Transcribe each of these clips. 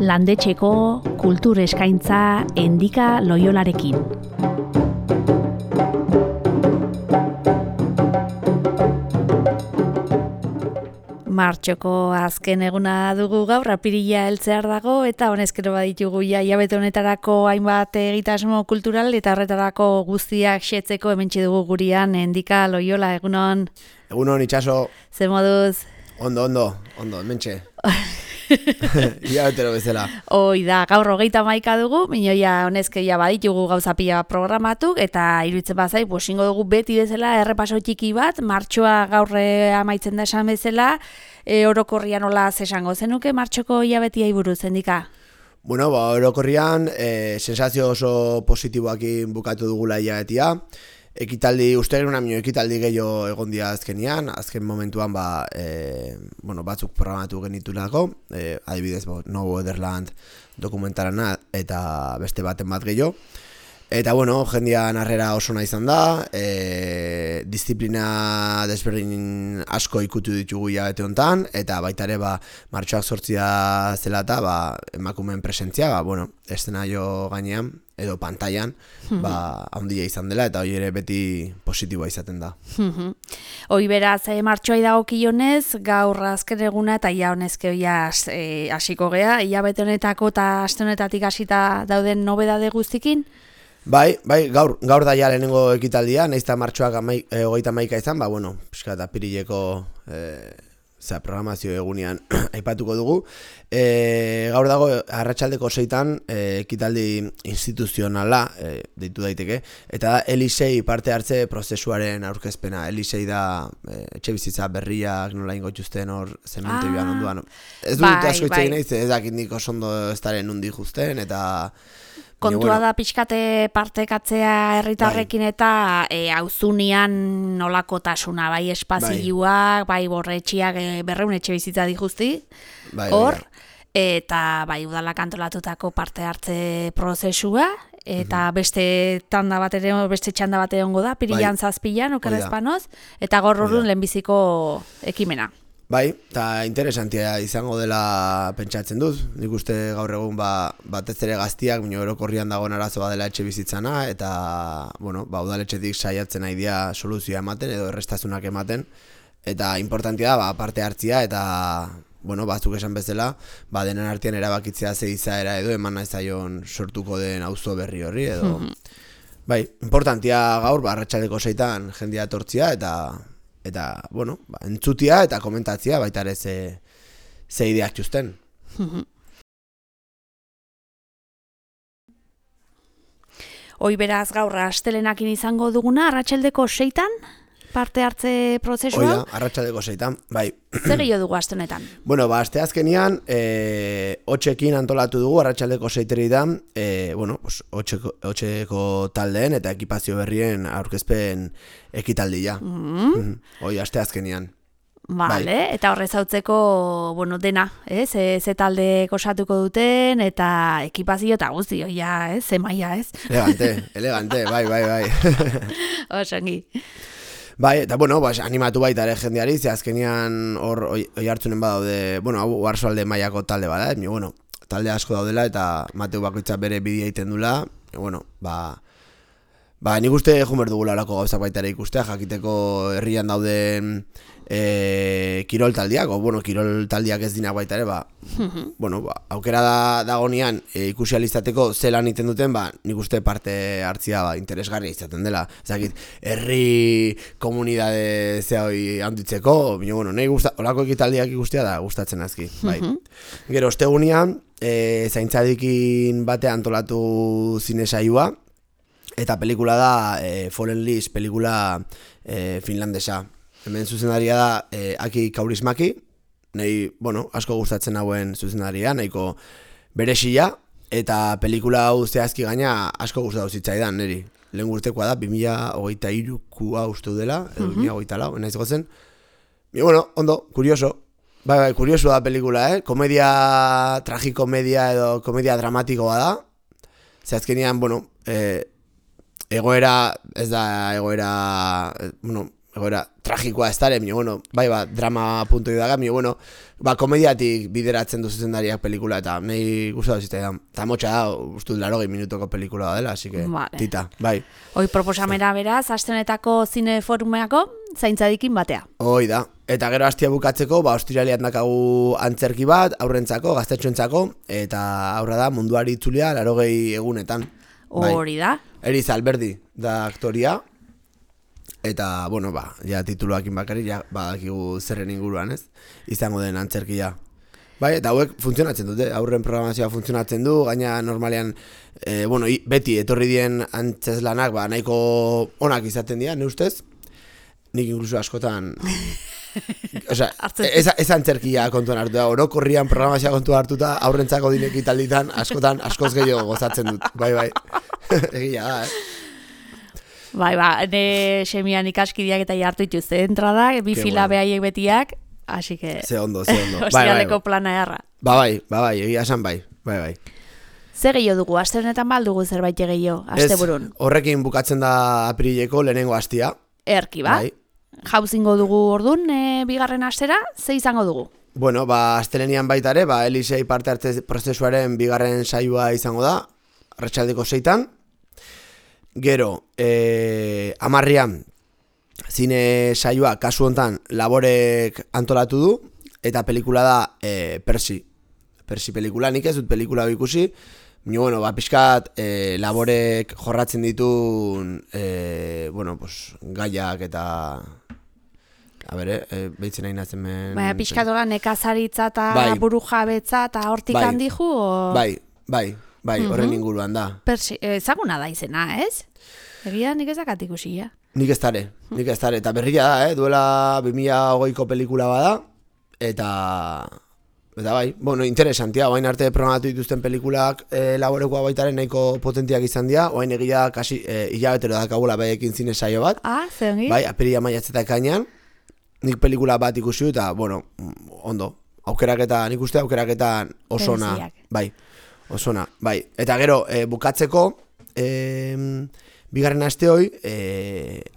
Landetxeko kultur eskaintza Endika Loiolarekin. Martxoko azken eguna dugu gaur, apirila heltzear dago, eta honezkero baditugu hilabete honetarako hainbat egitasmo kultural, eta horretarako guztiak xetzeko hementxe dugu gurian Endika Loiola, egunon. Egunon, itxaso. Ze moduz? Ondo, hementxe. Hilabetero bezala. Hoi da, gaur 31 dugu, minoia honezkeia baditugu gauza pila programatu, eta iruditzen bazai, bosingo dugu beti bezala errepaso txiki bat, martxoa gaur amaitzen da esan bezala, orokorrian nola esango zenuke martxoko hilabetia buruz, Endika? Bueno, orokorrian, sensazio oso positiboakin bukatu dugula hilabetia. Ekitaldi, uste genuen amino ekitaldi gehiago egon dira azkenian, azken momentuan batzuk programatu genitulako, adibidez, No Wonderland dokumentarana eta beste baten bat gehiago. Eta, jendean harrera oso nahi izan da, disiplina desberdin asko ikutu ditugu hilabete honetan, eta baita ere, martxoak 8 zela eta emakumeen presentzia, eszenario gainean, edo pantailan, handia izan dela, eta hori ere beti positiboa izaten da. Hoi beraz, martxoai dagokionez, gaur azken eguna, eta ia honezke hasiko gea, hilabete honetako eta aste honetatik hasita dauden nobedade guztikin? Bai, gaur da ja lehenengo ekitaldia, nahiz eta martxoak 31 izan, pixkat apirileko programazio egunean aipatuko dugu. Gaur dago arratsaldeko 6 ekitaldi instituzionala deitu daiteke, eta da Elisei parte hartze prozesuaren aurkezpena. Elisei da etxebizitza berriak nola ingo txusten hor zementerioan onduan. Ez dut asko itxegin nahiz, ez dakit nik oso ondo ez daren nundi justen, eta... Kontua da pixkate partekatzea herritarrekin eta auzunian nolakotasuna, bai espazioak, bai borretxiak 200 etxe bizitza dijuzti, hor, eta bai udalak antolatutako parte hartze prozesua, eta beste txanda bat egongo da, pirilan 7 okerrezpanoz, eta gaur horren lehenbiziko ekimena. Bai, eta interesantia izango dela pentsatzen dut. Nik uste gaur egun batez ere gaztiak, orokorrian dagoen arazoa dela etxe bizitzana, eta, udaletxetik saiatzen nahi dira soluzioa ematen edo errestasunak ematen. Eta importantia da, parte hartzia, eta, batzuk esan bezala, denen artean erabakitzea ze izaera edo eman nahi zaion sortuko den auzo berri horri, edo... Bai, importantia gaur, arratsaldeko 6 jendea etortzia, eta, entzutia eta komentatzia baita ere ze ideak txusten. Hoi beraz gaur astelenakin izango duguna, arratsaldeko 6 parte hartze prozesua? Hoi da, arratsaldeko 6, bai. Zer gehiago dugu aste honetan? Aste azkenian, hotxekin antolatu dugu, arratsaldeko 6 hotxeko taldeen eta ekipazio berrien aurkezpen ekitaldia. Hoi, aste azkenian. Vale, eta horrez hautzeko, dena, ze talde osatuko duten, eta ekipazio eta guzti, ze maia, ez? Elegante, bai. Osongi. Bai, eta animatu baita ere jendeari, ze azkenian hor hartzunen badaude, hau Oarsoalde mailako talde bada, talde asko daudela eta Mateu bakoitza bere bidea egiten dula, nik uste jumer dugula olako gauzak baita ere ikustea, jakiteko herrian dauden kirol taldiak, kirol taldiak ez dinak baita ere, aukera dagonean ikusializateko zelan iten duten, nik uste parte hartzia interesgarria izaten dela. Ezakit, herri komunidade hoi handitzeko, nahi olako ekitaldiak ikustea da gustatzen azki. Gero, ostegunean, zaintzadikin batean antolatu zine saioa, eta pelikula da Fallen Leaves, pelikula finlandesa. Hemen zuzendaria da Aki Kaurismäki, nahi, asko gustatzen hauen zuzendaria, nahiko beresia, eta pelikula hau zehazki gaina asko gustatu zitzaidan, niri. Lehen urtekoa da, 2023 uste dela, edo 2024, naiz gozen. Ondo, kurioso. Bai, kurioso da pelikula, komedia, tragikomedia edo komedia dramatikoa da. Zehazkenian, egoera, ez da egoera, egoera tragikoa ez dara, bueno, bai, drama punto daga, bueno, komediatik bideratzen du zuzendariak pelikula, eta nahi gustatu zitzaidan. Eta motxa da, uste dut 80 minutoko pelikula dela, así que, tita, bai. Hoi proposamena beraz, aste honetako zine forumeako, zaintzadikin batea. Hoi da. Eta gero hastia bukatzeko, ostiralean dakagu antzerki bat, aurrentzako, gaztetxoentzako, eta aurra da munduari itzulia 80 egunetan. Hori da. Eriz Alberdi da aktoria, eta, bueno, ja tituluakin bakari, ja badakigu zerren inguruan, ez? Izango den antzerkia. Bai, eta hauek funtzionatzen dute, aurren programazioa funtzionatzen du, gaina normalean, beti etorri dien antzeslanak, nahiko onak izaten dira, ne ustez? Nik inkluso askotan... Osea, ez antzerkia kontuan hartu da, orokorrian programazioa kontuan hartuta, aurrentzako dineki talditan, askotan, askoz gehiago gozatzen dut. Bai, egia da, Bai, ne semian ikaskideak eta jartu ituzte entrada, bi fila behaiek betiak, así que... Ze ondo. Ostiraleko plana erra. Bai, egia esan bai. Ze gehiago dugu, aste honetan baldugu zerbait gehiago, aste burun? Horrekin bukatzen da aprileko lehenengo astia. Erki, ba? Bai. Jauzingo dugu ordun, bigarren astera, ze izango dugu? Bueno, astelenian baita ere, Elisei parte hartze prozesuaren bigarren saioa izango da, arratsaldeko 6. Gero, 10 zine saioa kasu hontan Laborek antolatu du, eta pelikula da Persi pelikula, nik ez dut pelikula ikusi, bueno, pixkat Laborek jorratzen ditun gaiak eta behitzen nahi nazen men... Pixkatola nekazaritza eta buru jabetza eta hortik handihu? Bai, horren inguruan da. Ezaguna da izena, ez? Egia nik ezak ikusi, ja? Nik ez tare, eta berria da, duela 2020ko pelikula bada, eta bai, interesantia, oain arte programatu dituzten pelikulak Laborekoa baitaren nahiko potentiak izan dira, oain egia kasi hilabetero dakagula baiekin zine saio bat. Zeongi? Bai, apiria maiatzeta ekainean, nik pelikula bat ikusi eta, ondo, nik uste aukeraketan osona, osona, bai. Eta gero, bukatzeko, bigarren aste hoi,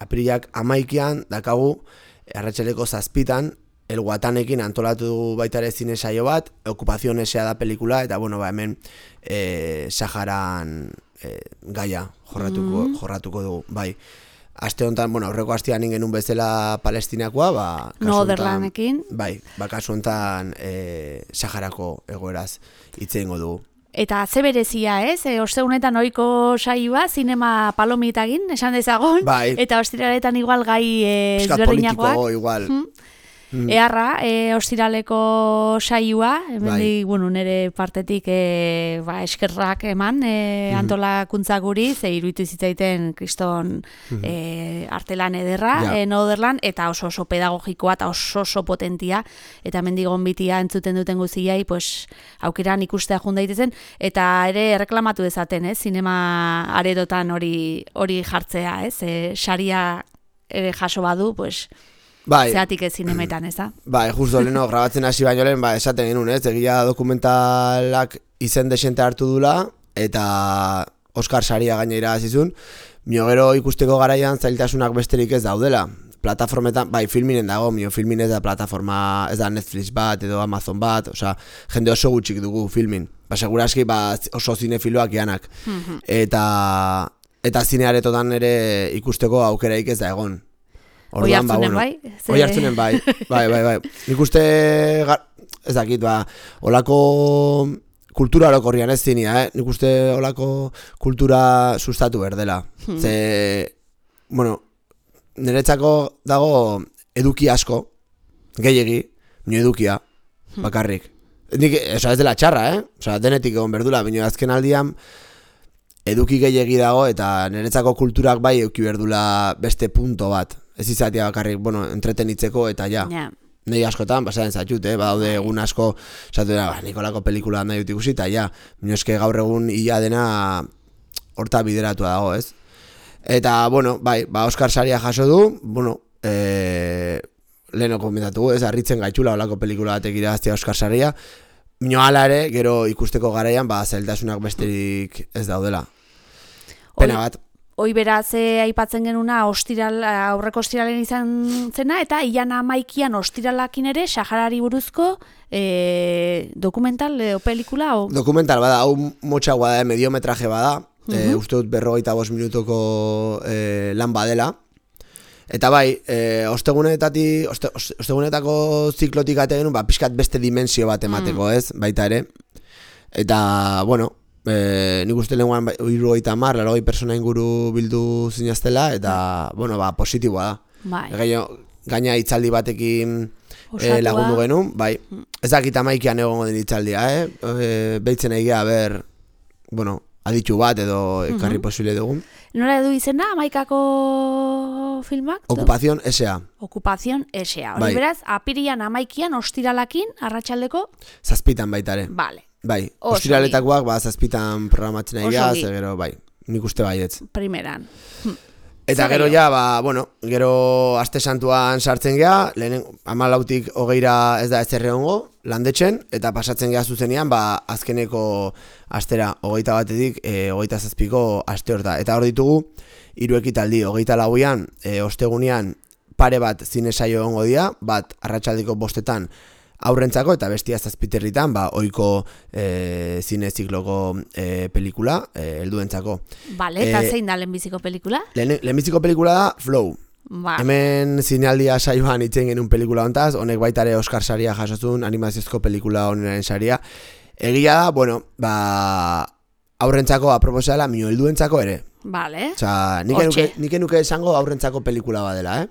apirilak 11an dakagu, arratsaleko 7 El Guatanekin antolatu dugu baita ere zine saio bat, Okupazio Nesea da pelikula, eta hemen Saharan gaia jorratuko dugu, bai. Aste honetan, aurreko astean genuen bezala Palestinakoa, Norderlandekin. Bai, kasu honetan Saharako egoeraz hitz egingo dugu. Eta ze berezia, ez? Ostegunetan ohiko saioa, zinema palomitagin, esan dezagon, eta ostiraletan igual gai ezberdinakoak. Politiko, igual. Earra, ostiraleko saioa, nire partetik eskerrak eman antolakuntza guri, ze iruditu zitzaiten kriston artelan ederra, Norderland, eta oso pedagogikoa eta oso potentia, eta mendigon bitia entzuten duten guziai, aukeran ikustea jundaitezen, eta ere reklamatu dezaten, zinema aretotan hori jartzea, saria ere jaso badu, zeatik ez zinemetan, ez da? Justo leheno, grabatzen hasi baino lehen, esaten genuen, egia dokumentalak izen desente hartu dula, eta Oscar saria gainera azizun, gero ikusteko garaian zailtasunak besterik ez daudela. Plataformetan, filminen dago, filmin ez da plataforma, ez da Netflix bat edo Amazon bat, jende oso gutxik dugu filmin. Seguraski oso zinefiloak janak. Eta zinearetotan ere ikusteko aukeraik ez da egon. Oi hartzunen bai? Oi hartzunen bai. Nik uste, ez dakit, olako kultura orokorrian ez zinia, nik uste olako kultura sustatu berdela. Niretzako dago eduki asko, gehiegi, edukia, bakarrik. Ez dela txarra, denetik egon berdula, baina azken aldian eduki gehiegi dago eta niretzako kulturak bai eduki berdula beste punto bat. Ez izatea bakarrik, entretenitzeko eta ja. Nei askotan, pasaren zatxut, badaude egun asko, esatu dira, Nikolako pelikula nahi dut ikusi, eta ja, minozke gaur egun ia dena horta bideratua dago, ez? Eta, Oscar saria jaso du, leheno komentatu, ez, harritzen gaitxula olako pelikula batek iraztea Oscar saria, hala ere, gero ikusteko garaian, zailtasunak besterik ez daudela. Pena bat. Hoi beraz aipatzen genuna aurreko ostiralen izan zena, eta ilan 11 ostiralakin ere Saharari buruzko dokumental o pelikula? O? Dokumental bada, hau motxagoa da, mediometraje bada, uste dut 45 minutoko lan badela. Eta bai, ostegunetako ziklotik ategin, pixkat beste dimensio bat emateko, ez, baita ere. Eta, bueno, nik uste lehenguan 70 persona inguru bildu zinaztela, eta, bueno, positiboa da. Bai. Gaina hitzaldi batekin lagundu genuen, bai. Ez dakit 11an egongo den hitzaldia, behitzen egia, bueno, aditu bat edo ekarri posible dugun. Nola edu izena, 11ako filmak? Ocupación S.A. Ocupación S.A. Hori beraz, apirian 11an ostiralakin, arratsaldeko? 7 baitare. Vale. Bai, ostiraletakoak 7 programatzen egia, gero, bai, nik uste baietz. Primeran. Eta gero ja, gero aste santuan sartzen geha, 14tik 20ra ez da ez erreongo, landetzen, eta pasatzen geha zuzenean, azkeneko astera 21tik 27ko aste hor da. Eta hor ditugu, 3 ekitaldi, 24an, ostegunean pare bat zine saio egongo dira, bat arratsaldeko 5etan aurrentzako, eta bestia 7 ohiko zine zikloko pelikula, helduentzako. Bale, eta zein da lehenbiziko pelikula? Lehenbiziko pelikula da Flow. Hemen zinealdia saioan itzen genuen pelikula hontaz, honek baitare Oscar saria jasozun, animaziozko pelikula honenaren saria. Egia da, bueno, aurrentzako aproposa dela, mino helduentzako ere. Bale. Osa, nik enuke esango aurrentzako pelikula badela,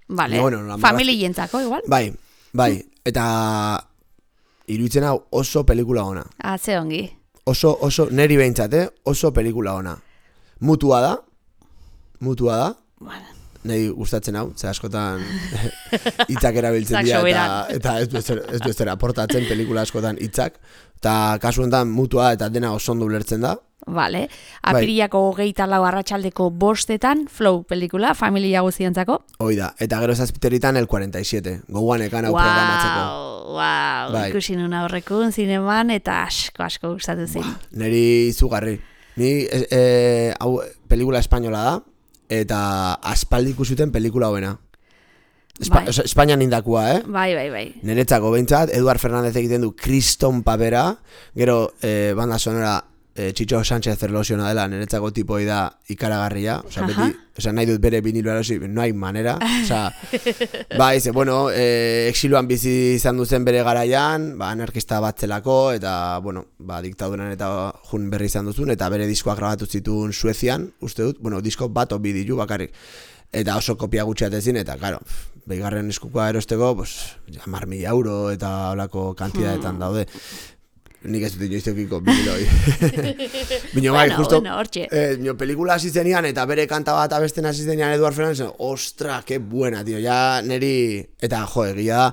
Bale, familientzako igual. Bai, eta iruditzen hau oso pelikula ona. Ze ongi. Oso, neri behintzat, oso pelikula ona. Mutua da. Bueno. Nahi gustatzen hau, ze askotan hitzak erabiltzen dira, eta ez du ezera aportatzen pelikula askotan hitzak. Eta kasu honetan mutua eta dena oso ondo ulertzen da. Vale. Apirilako 24 arratsaldeko 5etan Flow pelikula, familia guztientzako. Hoi da, eta gero 7 el 47, goguan ekan hau programatzeko. Wow, ikusi nun aurrekun zineman, eta asko gustatu zen. Neri izugarri. Ni hau pelikula espainola da, eta aspaldi ikusuten pelikula hoena. Espainian indakua, Bai. Niretzako behintzat, Eduard Fernández egiten du kriston papera, gero banda sonora Chicho Sánchez Ferlosiona dela, niretzako tipoi da ikaragarria, beti, nahi dut bere vinilo erosi, no hay manera, bai, bueno, exiloan bizi izan duzen bere garaian, anarkista bat zelako, eta, bueno, diktaduran eta jun berri izan duzun, eta bere diskoak grabatu zituen Suezian, uste dut, bueno, disko bat obi ditu bakarrik, eta oso kopia gutxiatezin, eta, karo, behigarren eskukoa erosteko, pues, 10.000 euro eta holako kantidadetan daude. Nik ez dut inoizteukiko viniloi. Bino bai, justo, pelikula hasi zenian eta bere kanta bat abesten hasi zenian Eduard Fernández, ostra, que buena, tío, ja neri, eta jo, egia da,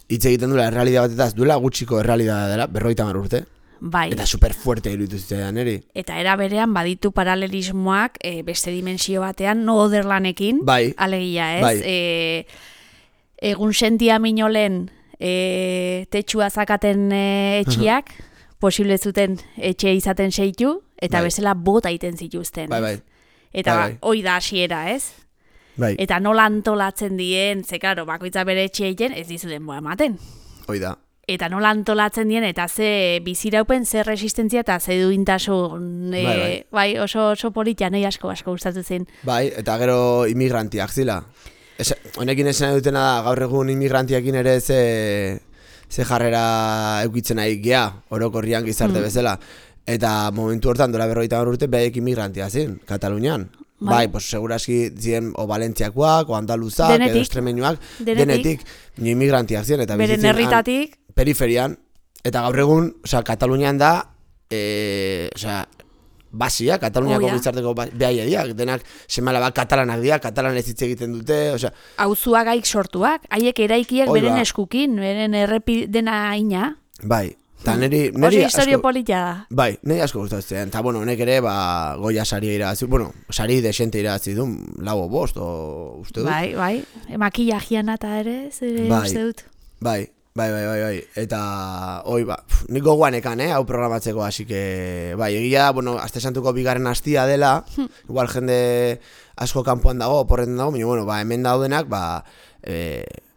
hitz egiten duela errealidad batetaz, duela gutxiko errealidad dela, 50 urte. Bai. Eta super fuerte iruditu zitzaidan neri. Eta era berean baditu paralelismoak beste dimensio batean, no oderlanekin, alegia, ez? Bai. Egun sentia minolen tetxua zakaten etxiak, posible zuten etxe izaten seitu, eta bezala bota iten zituzten. Bai. Eta hoi da hasiera, ez? Bai. Eta nola antolatzen dien, ze karo, bakoitza bere etxe egiten, ez dizuten boa ematen. Hoi da. Eta nola antolatzen dien, eta ze biziraupen, ze resistentzia, eta ze duintasun, bai, oso politia, nahi asko gustatu zen. Bai, eta gero immigrantiak zila. Honekin esan dutena da, gaur egun immigrantiakin ere ze jarrera eukitzen nahi gea, orokorrian gizarte bezala. Eta momentu hortan, dola 50 urte, behek immigrantia zin, Katalunian. Bai, pues seguraski ziren o Valentziakoak, o Andaluzak, edo Estremeñuak, denetik, immigrantiak ziren. Beren herritatik. Periferian, eta gaur egun, Katalunian da, basia, Kataluniako gizarteko behaiediak, denak semala katalanak dira, katalan ez hitz egiten dute, auzuagaik sortuak, haiek eraikiak beren eskukin, beren errepidena ina. Bai, eta neri oso historio politia da. Bai, neri asko gustatzen, eta bueno, honek ere, Goya saria irabazi, bueno, sari desente irabazi du, 4 o 5, uste dut. Bai, makillajian eta ere, uste dut. Bai. Bai. Eta, nik gogoan ekan, hau programatzeko, así que, bai, egia, bueno, aste santuko bigarren astia dela, igual jende asko kanpoan dago, oporretan dago, baina, hemen daudenak,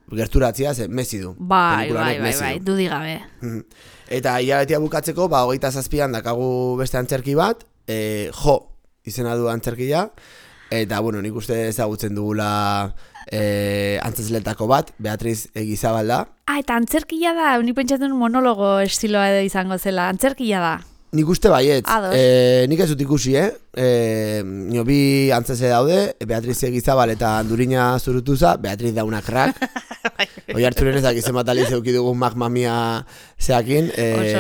gerturatzia, Messi du. Bai, dudik gabe. Eta hilabetea bukatzeko, 27an dakagu beste antzerki bat, izena du antzerkia, eta, bueno, nik uste ezagutzen dugula antzesletako bat, Beatriz Egizabal da. Eta antzerkia da, nik pentsatzen monologo estiloa edo izango zela, antzerkia da. Nik uste baiet, nik ez dut ikusi, nio bi antzese daude, Beatriz Egizabal eta Andurina Zurutuza, Beatriz da una crack. Oi hartzuren ezak izen bat aliz eukidugun magmamia zeakin,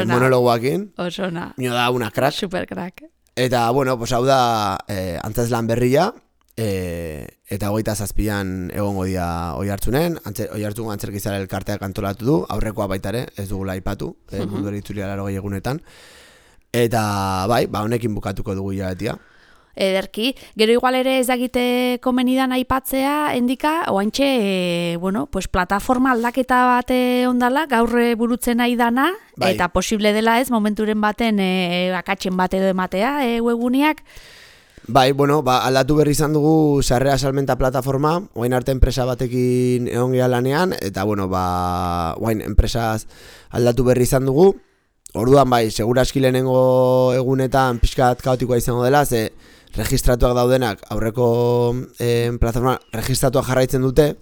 monologoakin. Osona. Nio da una crack. Super crack. Eta, bueno, hau da antzeslan berria, eta 27an egongo dia oi hartzunen, oi hartzun antzerkizara elkarteak antolatu du, aurrekoa baitare, ez dugula aipatu, mundu eritzulia 80 egunetan. Eta bai, honekin bukatuko dugu hilabetea. Ederki, gero igual ere ez dakite komenidan aipatzea, endika, oaintxe, plataforma aldaketa bate ondala, gaur burutzen nahi dana, bai. Eta posible dela ez, momenturen baten akatzen bat edo ematea, webuniak. Bai, aldatu berri izan dugu sarrera salmenta plataforma, oain arte enpresa batekin egon geha lanean, eta oain enpresaz aldatu berri izan dugu. Orduan seguraski lehenengo egunetan pixkat kaotikoa izango dela, ze registratuak daudenak aurreko plataforma registratuak jarraitzen dute,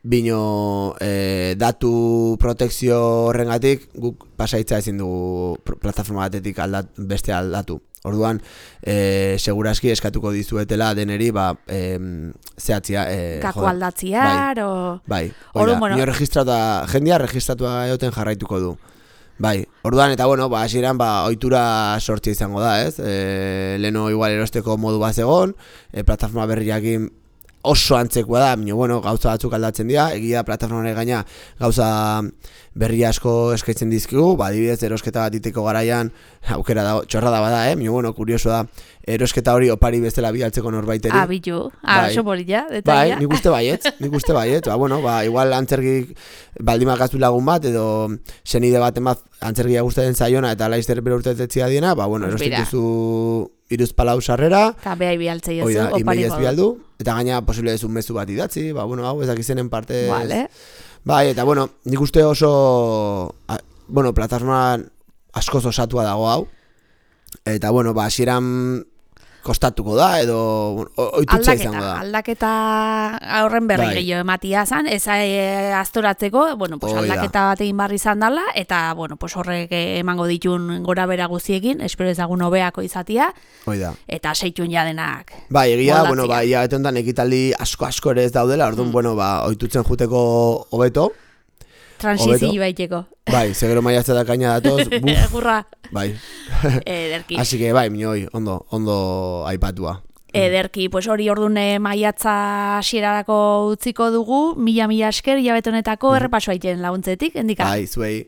bino datu protekzio horrengatik guk pasaitza ezin dugu plataforma batetik beste aldatu. Orduan, seguraski eskatuko dizuetela deneri, zehatzia. Kako aldatziar, Bai, nio registratua, jendia registratua egoten jarraituko du. Bai, orduan eta hasieran ohitura sortzia izango da, ez? Leno igual erosteko modu bat egon, plataforma berriakin oso antzekoa da, baina gauza batzuk aldatzen dira, egia plataformaren gaina gauza berri asko eskaintzen dizkigu, adibidez erosketa bat iteko garaian aukera da, txorrada bada, baina kurioso da, erosketa hori opari bezala bialtzeko norbaiteri. Bilu, oso borila, Bai, detaila. nik uste baiet, igual antzergik baldimak aztu lagun bat, edo senide baten bat antzergia gustatzen zaiona, eta laizter bere urtetetzia diena, erostituzu iruzpalau sarrera, eta behai bialtzei ez du, opari bialdu, eta gaina posible ez un mezu bat idatzi, hau ezak izenen parte. Vale. Bai, eta nik uste oso, plataforma askoz osatua dago hau, eta hasieran kostatuko da, edo oitutxe izango da. Aldaketa horren berri gehiago ematia zan, ez aztoratzeko, aldaketa bat egin barri izan dela, eta horrek emango ditun gora bera guziekin, espero ezagun hobeako izatia, eta seitun jadenak. Bai, egia, eta honetan ekitaldi asko ere ez daudela, orduan, oitutzen juteko hobeto. Transizio baiteko. Bai, segero maiatza da kaina datoz, buf. Gurra. Bai. Ederki. Así que bai, minoi, ondo aipatua. Ederki, hori ordune maiatza hasierarako utziko dugu, mila esker, hilabete honetako errepaso aiten laguntzetik, endika? Bai, zuei.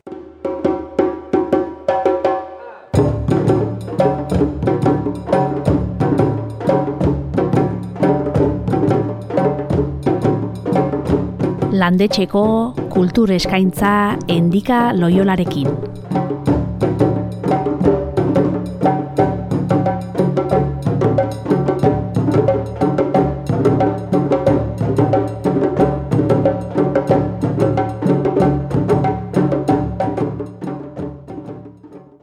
Landetxeko kultur eskaintza Endika Loiolarekin.